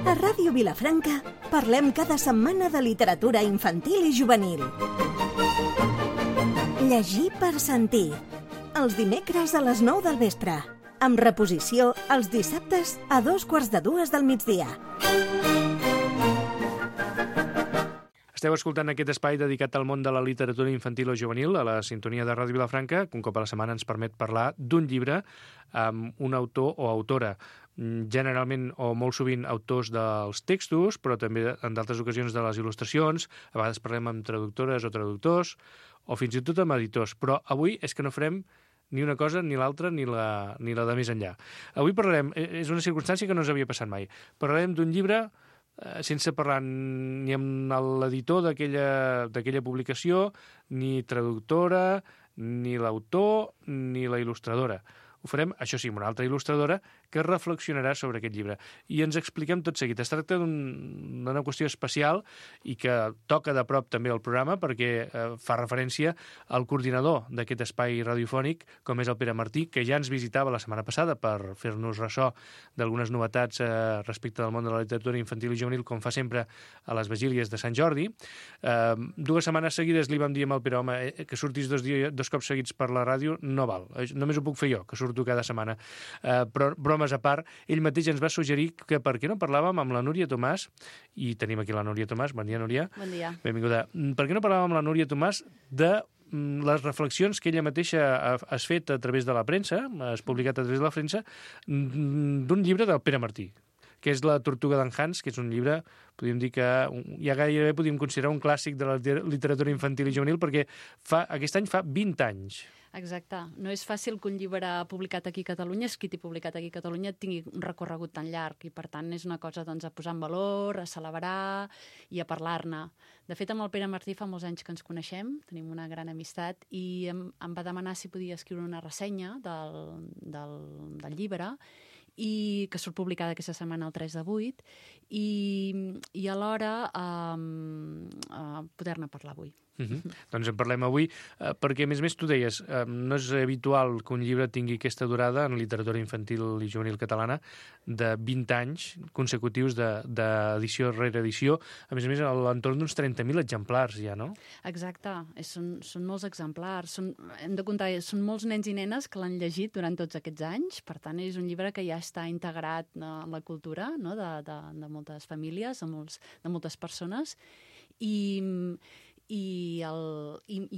A Ràdio Vilafranca parlem cada setmana de literatura infantil i juvenil. Llegir per sentir. Els dimecres a les 9 del vespre. Amb reposició els dissabtes a 2:45 del migdia. Esteu escoltant aquest espai dedicat al món de la literatura infantil o juvenil a la sintonia de Ràdio Vilafranca, que un cop a la setmana ens permet parlar d'un llibre amb un autor o autora, generalment o molt sovint autors dels textos, però també en d'altres ocasions de les il·lustracions. A vegades parlem amb traductores o traductors, o fins i tot amb editors, però avui és que no farem ni una cosa, ni l'altra, ni la de més enllà. Avui parlarem, és una circumstància que no ens havia passat mai, parlarem d'un llibre sense parlar ni amb l'editor d'aquella publicació, ni traductora, ni l'autor, ni la il·lustradora. Ho farem, això sí, amb una altra il·lustradora que reflexionarà sobre aquest llibre. I ens expliquem tot seguit. Es tracta d'una qüestió especial i que toca de prop també el programa perquè fa referència al coordinador d'aquest espai radiofònic, com és el Pere Martí, que ja ens visitava la setmana passada per fer-nos ressò d'algunes novetats respecte del món de la literatura infantil i juvenil, com fa sempre a les vigílies de Sant Jordi. 2 setmanes seguides li vam dir amb el Pere, home, que surtis 2 cops seguits per la ràdio no val. Només ho puc fer jo, que surto cada setmana. Però bromes a part, ell mateix ens va suggerir que per què no parlàvem amb la Núria Tomàs, i tenim aquí la Núria Tomàs. Bon dia, Núria. Bon dia. Benvinguda. Per què no parlàvem amb la Núria Tomàs de les reflexions que ella mateixa has fet a través de la premsa, has publicat a través de la premsa, d'un llibre del Pere Martí, que és La tortuga d'en Hans, que és un llibre, podríem dir que ja gairebé podríem considerar un clàssic de la literatura infantil i juvenil, perquè aquest any fa 20 anys. Exacte. No és fàcil que un llibre publicat aquí a Catalunya, escrit i publicat aquí a Catalunya, tingui un recorregut tan llarg i, per tant, és una cosa doncs, a posar en valor, a celebrar i a parlar-ne. De fet, amb el Pere Martí fa molts anys que ens coneixem, tenim una gran amistat, i em va demanar si podia escriure una ressenya del llibre, i que surt publicada aquesta setmana el 3 de 8, i alhora poder-ne parlar avui. Doncs en parlem avui, perquè, a més, tu deies, no és habitual que un llibre tingui aquesta durada en literatura infantil i juvenil catalana de 20 anys consecutius d'edició rere edició, a més, a l'entorn d'uns 30.000 exemplars ja, no? Exacte, són molts exemplars, hem de comptar, són molts nens i nenes que l'han llegit durant tots aquests anys, per tant és un llibre que ja està integrat en la cultura, no? de moltes famílies, de moltes persones, i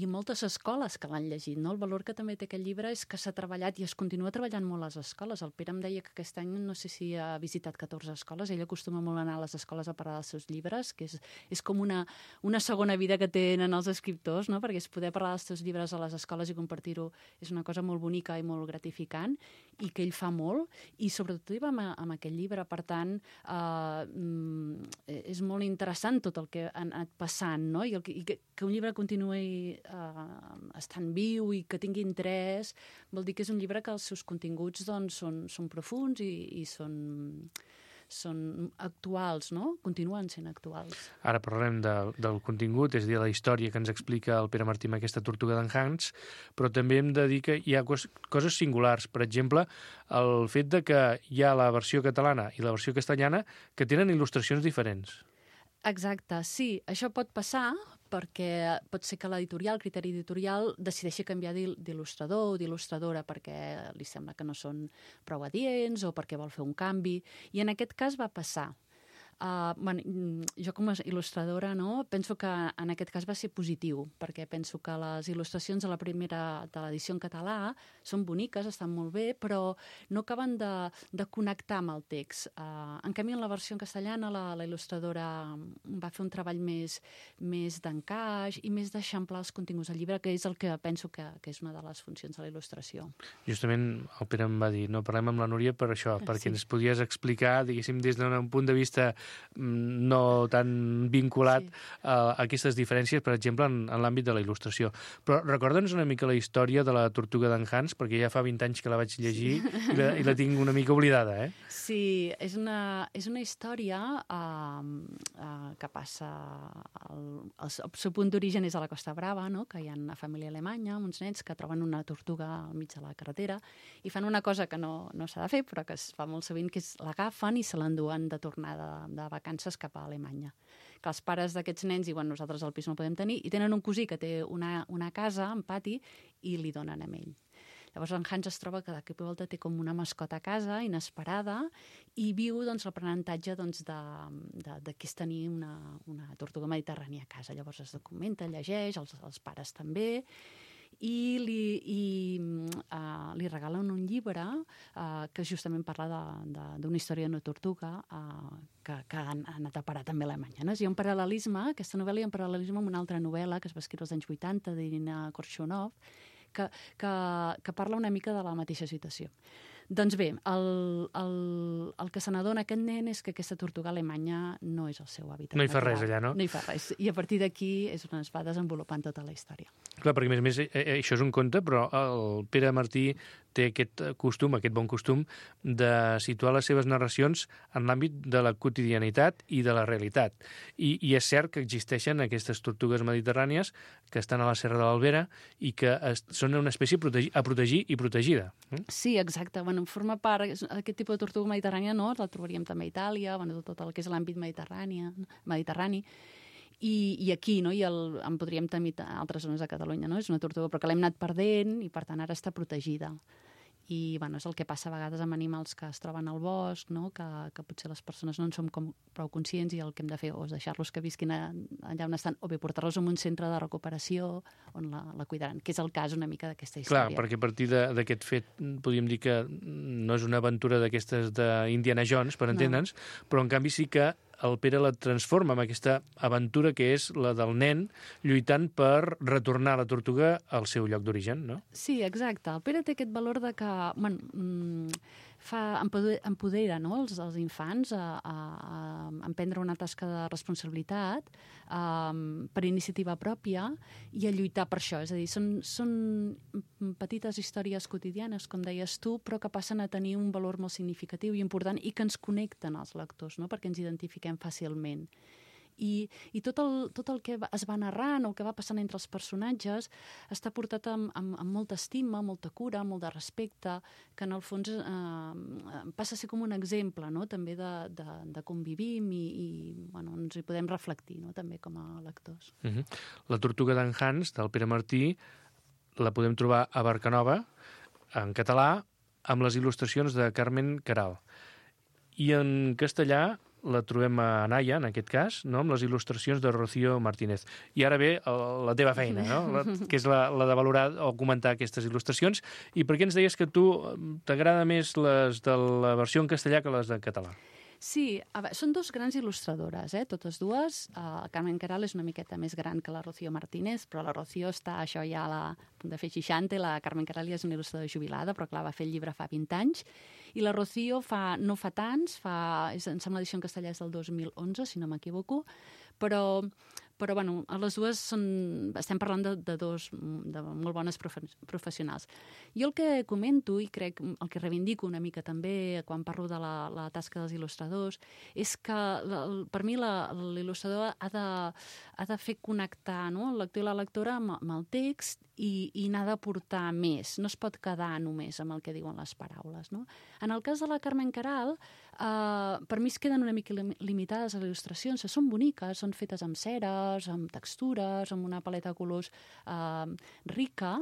moltes escoles que l'han llegit. No? El valor que també té aquest llibre és que s'ha treballat i es continua treballant molt a les escoles. El Pere em deia que aquest any no sé si ha visitat 14 escoles. Ell acostuma molt a anar a les escoles a parlar dels seus llibres, que és com una segona vida que tenen els escriptors, no? Perquè és poder parlar dels teus llibres a les escoles i compartir-ho és una cosa molt bonica i molt gratificant, i que ell fa molt, i sobretot hi va amb aquest llibre. Per tant, és molt interessant tot el que ha anat passant, no? I que un llibre continuï estant viu i que tingui interès, vol dir que és un llibre que els seus continguts doncs, són profuns i són actuals, no? Continuen sent actuals. Ara parlarem del contingut, és a dir, la història que ens explica el Pere Martí amb aquesta tortuga d'en Hans, però també hem de dir que hi ha coses singulars. Per exemple, el fet de que hi ha la versió catalana i la versió castellana que tenen il·lustracions diferents. Exacte, sí. Això pot passar perquè pot ser que l'editorial, el criteri editorial, decideixi canviar d'il·lustrador o d'il·lustradora perquè li sembla que no són prou adients o perquè vol fer un canvi. I en aquest cas va passar. Jo com a il·lustradora penso que en aquest cas va ser positiu, perquè penso que les il·lustracions de l'edició en català són boniques, estan molt bé, però no acaben de connectar amb el text. En canvi, en la versió en castellana, la il·lustradora va fer un treball més d'encaix i més d'eixamplar els continguts del llibre, que és el que penso que és una de les funcions de la il·lustració. Justament el Pere em va dir, no, parlem amb la Núria per això, perquè ens podies explicar, diguéssim, des d'un punt de vista no tan vinculat a aquestes diferències, per exemple, en l'àmbit de la il·lustració. Però recorda'ns una mica la història de la Tortuga d'en Hans, perquè ja fa 20 anys que la vaig llegir i la tinc una mica oblidada, eh? Sí, és una història que passa... El seu punt d'origen és a la Costa Brava, no? Que hi ha una família alemanya, uns nens que troben una tortuga al mig de la carretera i fan una cosa que no s'ha de fer, però que es fa molt sovint, que és l'agafen i se l'enduen de tornada de vacances cap a Alemanya. Que els pares d'aquests nens diuen nosaltres al pis no podem tenir, i tenen un cosí que té una casa en pati i li donen a ell. Llavors en Hans es troba que de cop i volta té com una mascota a casa, inesperada, i viu l'aprenentatge de què és tenir una tortuga mediterrània a casa. Llavors es documenta, llegeix, els pares també, i li regalen un llibre que justament parla d'una història d'una tortuga que ha anat a parar també a Alemanya. No? Hi ha un paral·lelisme, aquesta novel·la hi ha un paral·lelisme amb una altra novel·la que es va escriure als anys 80 d'Irina Korshunov, que parla una mica de la mateixa situació. Doncs bé, el que se n'adona aquest nen és que aquesta tortuga alemanya no és el seu hàbitat. No hi fa res allà, no? No hi fa res. I a partir d'aquí és on es va desenvolupant tota la història. Clar, perquè a més això és un conte, però el Pere Martí té aquest bon costum de situar les seves narracions en l'àmbit de la quotidianitat i de la realitat. I és cert que existeixen aquestes tortugues mediterrànies que estan a la Serra de l'Albera i que són una espècie a protegir i protegida. Sí, exacte. Bueno, forma part, aquest tipus de tortuga mediterrània, no? La trobaríem també a Itàlia, tot el que és l'àmbit mediterrani. I aquí, no? En podríem tenir altres zones de Catalunya, no? És una tortuga, però que l'hem anat perdent i, per tant, ara està protegida. I bueno, és el que passa a vegades amb animals que es troben al bosc, no? que potser les persones no en som prou conscients i el que hem de fer o és deixar-los que visquin allà on estan o bé portar-los a un centre de recuperació on la cuidaran, que és el cas una mica d'aquesta història. Clar, perquè a partir d'aquest fet podríem dir que no és una aventura d'aquestes d'Indiana Jones, per entendre'ns, però en canvi sí que el Pere la transforma en aquesta aventura que és la del nen lluitant per retornar la tortuga al seu lloc d'origen, no? Sí, exacte. El Pere té aquest valor de que empodera, no? els infants a emprendre una tasca de responsabilitat per iniciativa pròpia i a lluitar per això. És a dir, són petites històries quotidianes, com deies tu, però que passen a tenir un valor molt significatiu i important i que ens connecten als lectors, no? Perquè ens identifiquem fàcilment. I tot el que es va narrant o el que va passant entre els personatges està portat amb molta estima, molta cura, molt de respecte, que en el fons passa a ser com un exemple, no? També de com vivim i bueno, ens hi podem reflectir, no? També com a lectors. La Tortuga d'en Hans, del Pere Martí, la podem trobar a Barcanova, en català, amb les il·lustracions de Carmen Queralt. I en castellà la trobem a Anaya, en aquest cas, no? Amb les il·lustracions de Rocío Martínez. I ara ve la teva feina, no? Que és la de valorar o comentar aquestes il·lustracions. I per què ens deies que a tu t'agrada més les de la versió en castellà que les en català? Sí, són dos grans il·lustradores, totes dues. Carmen Queralt és una miqueta més gran que la Rocío Martínez, però la Rocío està això ja a punt de fer 60, la Carmen Queralt ja és una il·lustradora jubilada, però clar, va fer el llibre fa 20 anys, i la Rocío no fa tants, em sembla l'edició en castellà és del 2011, si no m'equivoco, però bueno, les dues estem parlant de molt bones professionals. Jo el que comento, i crec el que reivindico una mica també quan parlo de la tasca dels il·lustradors, és que per mi l'il·lustrador ha de fer connectar, no? El lector i la lectora amb el text i n'ha de portar més. No es pot quedar només amb el que diuen les paraules, no? En el cas de la Carmen Queralt, per mi es queden una mica limitades les il·lustracions. Són boniques, són fetes amb ceres, amb textures, amb una paleta de colors rica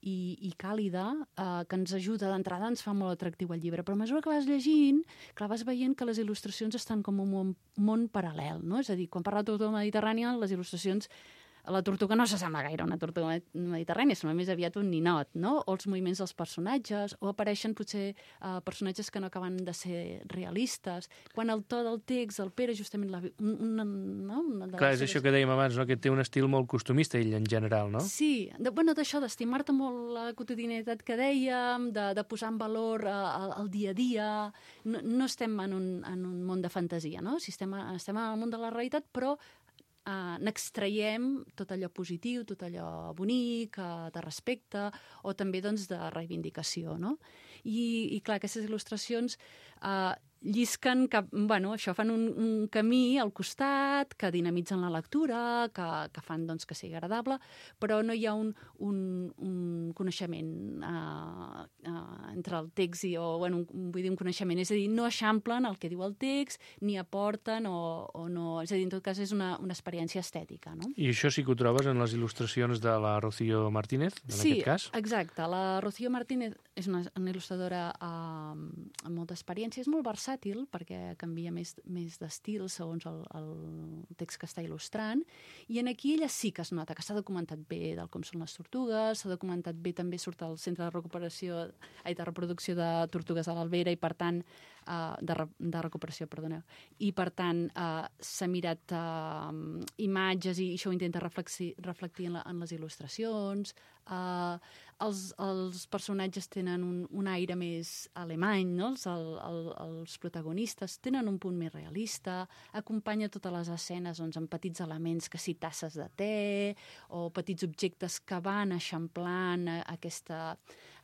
i càlida, que ens ajuda d'entrada, ens fa molt atractiu el llibre. Però a mesura que vas llegint, clar, vas veient que les il·lustracions estan com un món paral·lel, no? És a dir, quan parla de tortuga mediterrània, les il·lustracions la tortuga no s'assembla gaire a una tortuga mediterrània, sembla més aviat un ninot, no? O els moviments dels personatges, o apareixen potser personatges que no acaben de ser realistes. Quan el to del text, el Pere, justament una de Clar, és això que dèiem abans, no? Que té un estil molt costumista, ell, en general, no? Sí, d'això, d'estimar-te molt la quotidianitat que dèiem, de posar en valor el dia a dia. No estem en un món de fantasia, no? Si estem en el món de la realitat, però n'extraiem tot allò positiu, tot allò bonic, de respecte, o també doncs, de reivindicació, no? I clar, aquestes il·lustracions llisquen cap, això, fan un camí al costat, que dinamitzen la lectura, que fan doncs, que sigui agradable, però no hi ha un coneixement entre el text vull dir, un coneixement, és a dir, no eixamplen el que diu el text, ni aporten o no, és a dir, en tot cas és una experiència estètica, no? I això sí que ho trobes en les il·lustracions de la Rocío Martínez, en aquest cas? Sí, exacte. La Rocío Martínez és una il·lustradora amb molta experiència, és molt versàtil perquè canvia més d'estil segons el text que està il·lustrant, i aquí ella sí que es nota que s'ha documentat bé del com són les tortugues, s'ha documentat bé, també surt al Centre de Reproducció de Tortugues de l'Albera, i per tant de recuperació, perdoneu. I per tant s'ha mirat imatges i això ho intenta reflectir en les il·lustracions. Els personatges tenen un aire més alemany, no? Els protagonistes tenen un punt més realista, acompanya totes les escenes doncs, amb petits elements, que sí, tasses de te o petits objectes que van eixamplant aquesta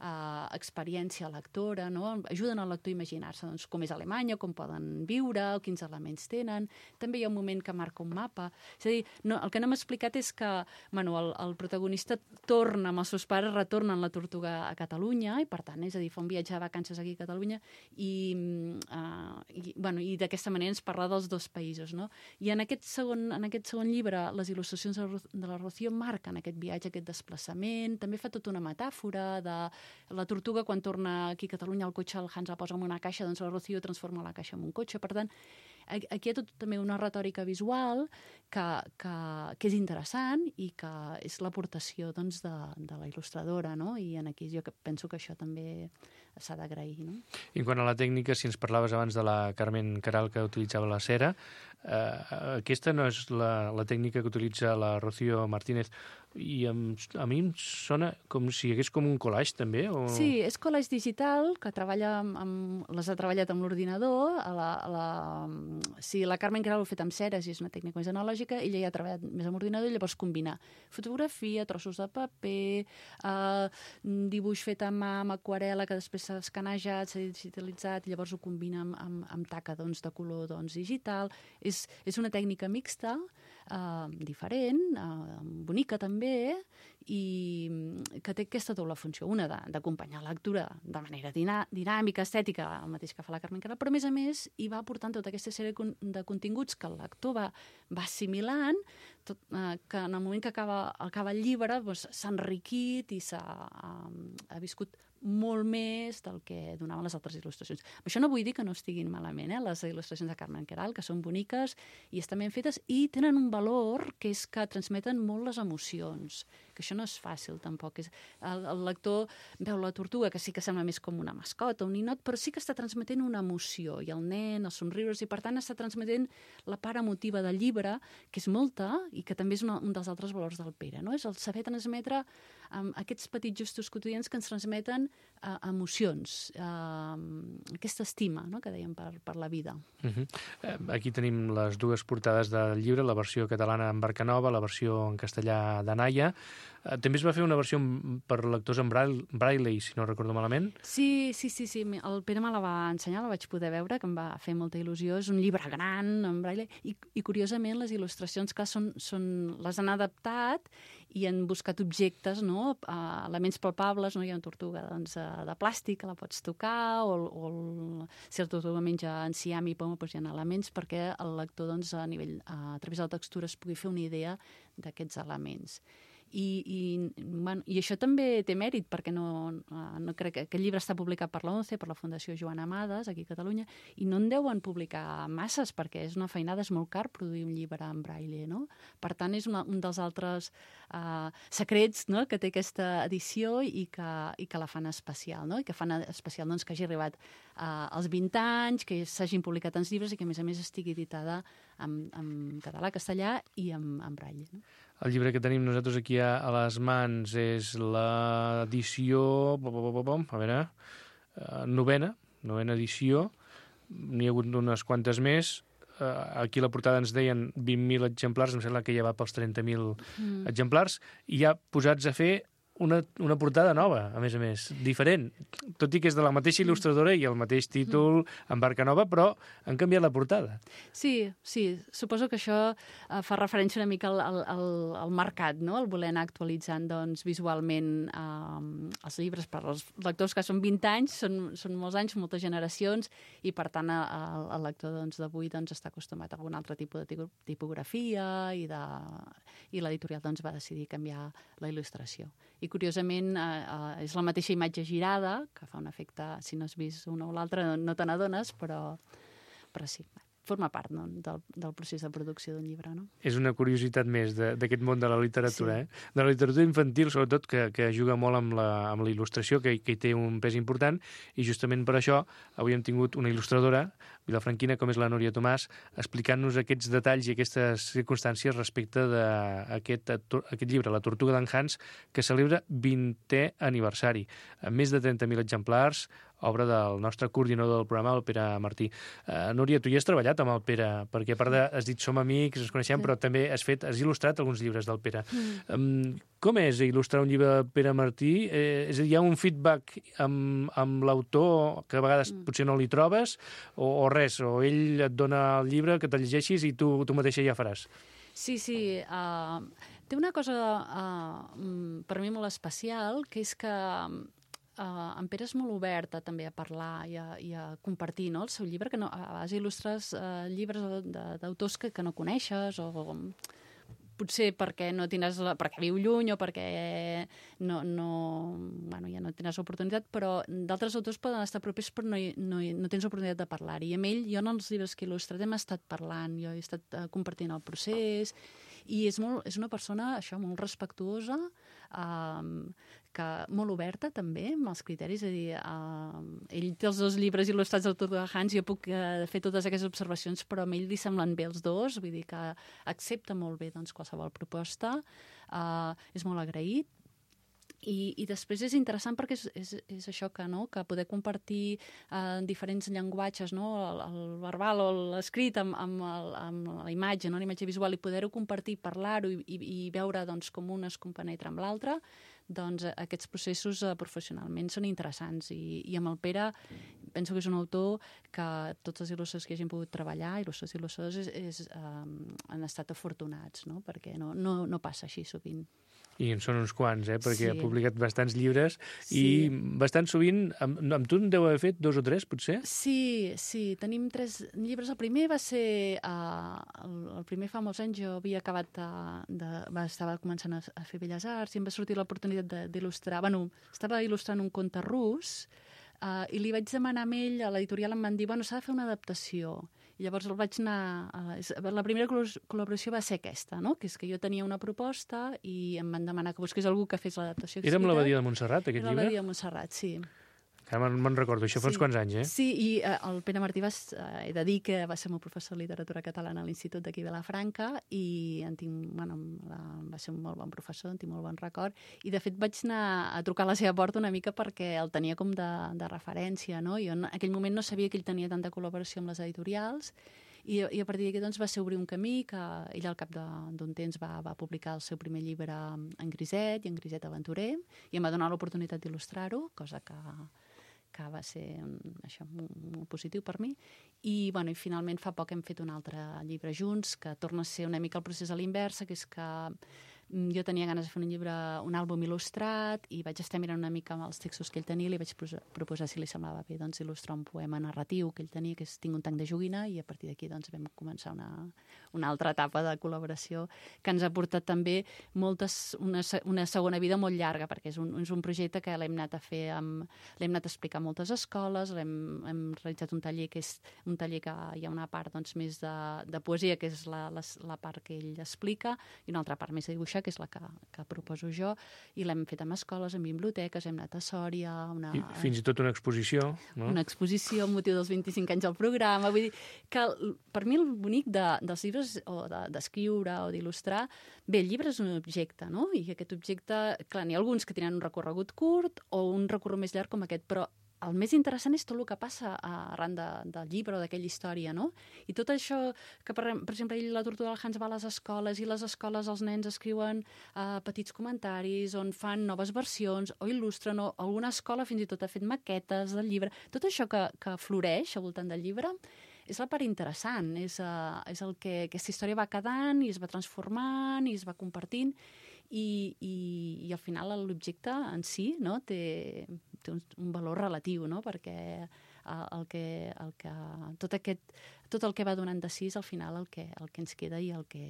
experiència lectora, no? Ajuden al lector a imaginar-se doncs, com és Alemanya, com poden viure, o quins elements tenen. També hi ha un moment que marca un mapa. És a dir, el que no m'ha explicat és que el protagonista torna amb els seus pares, retornen la tortuga a Catalunya, i per tant, és a dir, fa un viatge de vacances aquí a Catalunya, i d'aquesta manera ens parla dels dos països, no? I en aquest segon llibre, les il·lustracions de la Rocío marquen aquest viatge, aquest desplaçament, també fa tota una metàfora de la tortuga, quan torna aquí a Catalunya, el cotxe el Hans la posa en una caixa, doncs la Rocío transforma la caixa en un cotxe. Per tant, aquí hi ha tot també una retòrica visual que és interessant i que és l'aportació doncs, de la il·lustradora, no? I aquí jo penso que això també s'ha d'agrair, no? I en quant a la tècnica, si ens parlaves abans de la Carmen Queralt, que utilitzava la cera, aquesta no és la tècnica que utilitza la Rocío Martínez, i a mi em sona com si hi hagués com un collage també? O... Sí, és collage digital, que les ha treballat amb l'ordinador. Sí, la Carmen Queralt ho ha fet amb ceres i és una tècnica més analògica, ella ja ha treballat més amb ordinador i llavors combina fotografia, trossos de paper, dibuix fet a mà, amb aquarel·la, que després s'ha escanejat, s'ha digitalitzat, i llavors ho combina amb taca de color digital. És una tècnica mixta, diferent, bonica també, i que té aquesta doble funció. Una d'acompanyar la lectura de manera dinàmica, estètica, el mateix que fa la Carmen Queralt, però a més hi va aportant tota aquesta sèrie de continguts que el lector va assimilant, que en el moment que acaba el llibre s'ha enriquit i ha viscut molt més del que donaven les altres il·lustracions. Això no vull dir que no estiguin malament, les il·lustracions de Carmen Queralt, que són boniques i estan ben fetes i tenen un valor, que és que transmeten molt les emocions, que això no és fàcil tampoc. El lector veu la tortuga, que sí que sembla més com una mascota, un ninot, però sí que està transmetent una emoció, i el nen, els somriures, i per tant està transmetent la part emotiva del llibre, que és molta, i que també és un dels altres valors del Pere, no? És el saber transmetre aquests petits gestos quotidians que ens transmeten emocions, aquesta estima, no?, que dèiem per la vida. Aquí tenim les dues portades del llibre, la versió catalana en Barcanova, la versió en castellà d'Anaya. També es va fer una versió per lectors en braille, si no recordo malament. Sí. El Pere me la va ensenyar, la vaig poder veure, que em va fer molta il·lusió. És un llibre gran, en braille, i curiosament les il·lustracions que les han adaptat i han buscat objectes, no?, elements palpables, no? Hi ha una tortuga de plàstic que la pots tocar, o si la tortuga menja enciam i poma, doncs hi ha elements perquè el lector a través de la textura es pugui fer una idea d'aquests elements. I això també té mèrit, perquè no crec que aquest llibre està publicat per l'ONCE, per la Fundació Joan Amades, aquí a Catalunya, i no en deuen publicar masses, perquè és una feinada, és molt car produir un llibre en braille, no? Per tant, és un dels altres secrets, no?, que té aquesta edició i que la fan especial, no? I que fan especial doncs, que hagi arribat als 20 anys, que s'hagin publicat tants llibres i que, a més, estigui editada en català, castellà i en braille, no? El llibre que tenim nosaltres aquí a les mans és l'edició... A veure... novena edició. N'hi ha hagut unes quantes més. Aquí a la portada ens deien 20.000 exemplars, em sembla que ja va pels 30.000 exemplars, i ja posats a fer una portada nova, a més, diferent. Tot i que és de la mateixa il·lustradora i el mateix títol en barca nova, però han canviat la portada. Sí, suposo que això fa referència una mica al mercat, no? El voler anar actualitzant doncs, visualment els llibres per als lectors que són 20 anys, són molts anys, moltes generacions, i per tant el lector d'avui està acostumat a algun altre tipus de tipografia i l'editorial va decidir canviar la il·lustració. I curiosament és la mateixa imatge girada, que fa un efecte, si no has vist una o l'altra no te n'adones, però sí, forma part del procés de producció d'un llibre, no? És una curiositat més d'aquest món de la literatura, sí. De la literatura infantil, sobretot, que juga molt amb la il·lustració, que hi té un pes important, i justament per això avui hem tingut una il·lustradora vilafranquina, com és la Núria Tomàs, explicant-nos aquests detalls i aquestes circumstàncies respecte d'aquest llibre, La Tortuga d'en Hans, que celebra 20è aniversari, amb més de 30.000 exemplars, obra del nostre coordinador del programa, el Pere Martí. Núria, tu ja has treballat amb el Pere, perquè a part has dit som amics, ens coneixem, però també has il·lustrat alguns llibres del Pere. Com és il·lustrar un llibre del Pere Martí? És a dir, hi ha un feedback amb l'autor que a vegades potser no li trobes, o res, o ell et dona el llibre que te'l llegeixis i tu mateixa ja faràs? Sí. Té una cosa per mi molt especial, que és que en Pere és molt obert també a parlar i a compartir, no?, el seu llibre, que a vegades il·lustres llibres d'autors que no coneixes, o potser perquè perquè viu lluny o perquè ja no tens oportunitat, però d'altres autors poden estar propers però no tens oportunitat de parlar-hi. I amb ell, jo en els llibres que he il·lustrat hem estat parlant, jo he estat compartint el procés, i és una persona, això, molt respectuosa, molt oberta també amb els criteris, és a dir, ell té els 2 llibres il·lustrats del Tortuga de Hans, jo puc fer totes aquestes observacions, però a ell li semblen bé els 2, vull dir que accepta molt bé qualsevol proposta, és molt agraït. I després és interessant perquè és això que poder compartir diferents llenguatges, no?, el verbal o l'escrit amb la imatge, no?, la imatge visual, i poder-ho compartir, parlar-ho i veure com un es compenetra amb l'altre, doncs aquests processos professionalment són interessants. I amb el Pere penso que és un autor que tots els il·lustradors que hagin pogut treballar, il·lustradors, han estat afortunats, no?, perquè no passa així sovint. I en són uns quants, perquè ha publicat bastants llibres, i bastant sovint, amb tu en deu haver fet 2 o 3, potser? Sí, tenim 3 llibres. El primer va ser, el primer fa molts anys, jo havia acabat estava començant a fer Belles Arts, i em va sortir l'oportunitat d'il·lustrar, estava il·lustrant un conte rus, i li vaig demanar a ell, a l'editorial em van dir, s'ha de fer una adaptació. I llavors el vaig anar... La primera col·laboració va ser aquesta, no?, que és que jo tenia una proposta i em van demanar que busqués algú que fes l'adaptació. Era amb l'Abadia de Montserrat, aquest llibre? Era l'Abadia de Montserrat, sí. Ara me'n recordo, això fa uns quants anys, Sí, i el Pere Martí he de dir que va ser el meu professor de literatura catalana a l'Institut d'aquí de Vilafranca, i va ser un molt bon professor, en tinc molt bon record, i de fet vaig anar a trucar a la seva porta una mica perquè el tenia com de referència, no? Jo en aquell moment no sabia que ell tenia tanta col·laboració amb les editorials, i a partir d'aquí va ser obrir un camí que ell al cap d'un temps va publicar el seu primer llibre en Griset i en Griset Aventurer, i em va donar l'oportunitat d'il·lustrar-ho, cosa que va ser molt positiu per mi. I finalment fa poc hem fet un altre llibre junts, que torna a ser una mica el procés a l'inversa, que és que jo tenia ganes de fer un llibre, un àlbum il·lustrat, i vaig estar mirant una mica amb els textos que ell tenia i li vaig proposar si li semblava bé doncs, il·lustrar un poema narratiu que ell tenia, que és Tinc un tanc de joguina, i a partir d'aquí doncs, vam començar una altra etapa de col·laboració que ens ha portat també una segona vida molt llarga, perquè és un projecte que l'hem anat a fer, l'hem anat a explicar a moltes escoles, hem realitzat un taller que és un taller que hi ha una part doncs, més de poesia, que és la part que ell explica, i una altra part més de dibuixar, que és la que proposo jo, i l'hem fet amb escoles, en biblioteques, hem anat a Sòria... I fins i tot una exposició, no? Una exposició amb motiu dels 25 anys del programa. Vull dir que per mi el bonic dels llibres, o d'escriure o d'il·lustrar, bé, el llibre és un objecte, no? I aquest objecte, clar, n'hi ha alguns que tenen un recorregut curt o un recorregut més llarg com aquest, però el més interessant és tot el que passa arran del llibre o d'aquella història, no? I tot això que, per exemple, La tortuga del Hans va a les escoles, i les escoles els nens escriuen petits comentaris on fan noves versions o il·lustren, o alguna escola fins i tot ha fet maquetes del llibre. Tot això que floreix al voltant del llibre és la part interessant, és el que aquesta història va quedant i es va transformant i es va compartint, i al final l'objecte en si, no, té un valor relatiu, no? Perquè tot el que va donant de si és al final el que ens queda i el que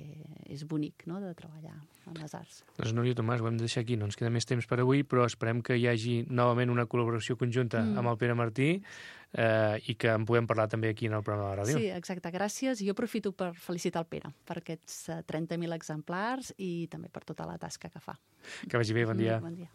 és bonic, no?, de treballar amb les arts. Doncs Núria Tomàs, ho hem de deixar aquí, no ens queda més temps per avui, però esperem que hi hagi novament una col·laboració conjunta amb el Pere Martí i que en puguem parlar també aquí en el programa de la ràdio. Sí, exacte, gràcies. I jo aprofito per felicitar el Pere per aquests 30.000 exemplars i també per tota la tasca que fa. Que vagi bé, bon dia. Bon dia.